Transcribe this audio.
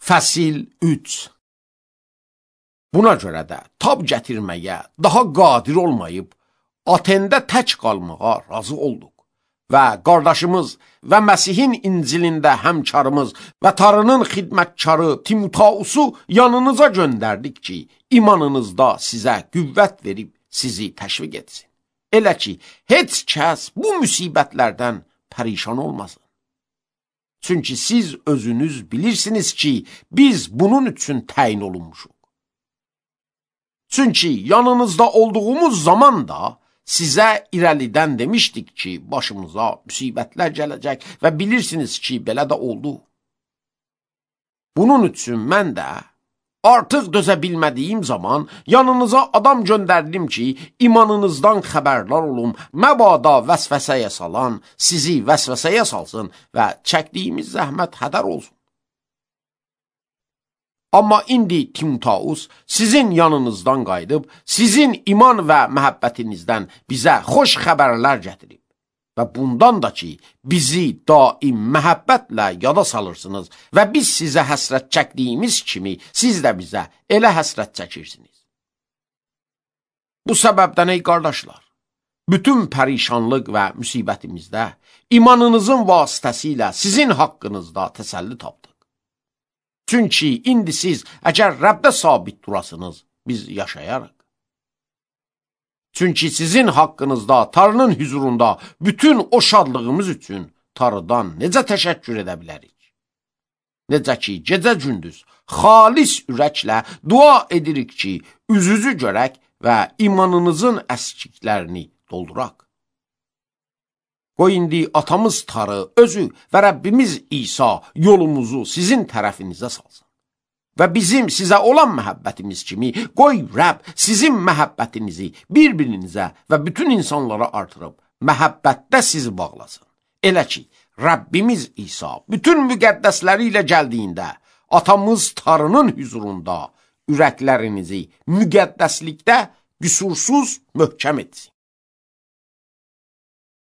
Fəsil 3. Buna görə də tab gətirməyə daha qadir olmayıb, Atendə tək qalmağa razı olduq və qardaşımız və Məsihin İncilində həmkarımız və Tanrının xidmətkarı Timotausu yanınıza göndərdik ki, imanınızda sizə qüvvət verib sizi təşviq etsin. Elə ki, heç kəs bu müsibətlərdən pərişan olmasın. Çünki siz özünüz bilirsiniz ki, biz bunun üçün təyin olunmuşuq. Çünki yanınızda olduğumuz zaman da sizə irəlidən demişdik ki, başımıza müsibətlər gələcək və bilirsiniz ki, belə də oldu. Bunun üçün mən də artıq dözə bilmədiyim zaman yanınıza adam göndərdim ki, imanınızdan xəbərdar olum, məbada vəsvəsəyə salan, sizi vəsvəsəyə salsın və çəkdiyimiz zəhmət hədər olsun. Amma indi Timotaus sizin yanınızdan qayıdıb, sizin iman və məhəbbətinizdən bizə xoş xəbərlər gətirib. Və bundan da ki, bizi daim məhəbbətlə yada salırsınız və biz sizə həsrət çəkdiyimiz kimi, siz də bizə elə həsrət çəkirsiniz. Bu səbəbdən ey qardaşlar, bütün pərişanlıq və müsibətimizdə imanınızın vasitəsilə sizin haqqınızda təsəlli tapdıq. Çünki indi siz əgər Rəbdə sabit durasınız, biz yaşayarıq. Çünki sizin haqqınızda Tanrının hüzurunda bütün o şadlığımız üçün Tanrıdan necə təşəkkür edə bilərik? Necə ki, gecə-gündüz xalis ürəklə dua edirik ki, üzünüzü görək və imanınızın əskiklərini dolduraq. Qoy indi atamız Tanrı özü və Rəbbimiz İsa yolumuzu sizin tərəfinizə salsın. Və bizim sizə olan məhəbbətimiz kimi, qoy Rəbb sizin məhəbbətinizi bir-birinizə və bütün insanlara artırıb, məhəbbətdə sizi bağlasın. Elə ki, Rəbbimiz İsa bütün müqəddəsləri ilə gəldiyində, atamız Tanrının hüzurunda ürəklərinizi müqəddəslikdə qüsursuz möhkəm etsin.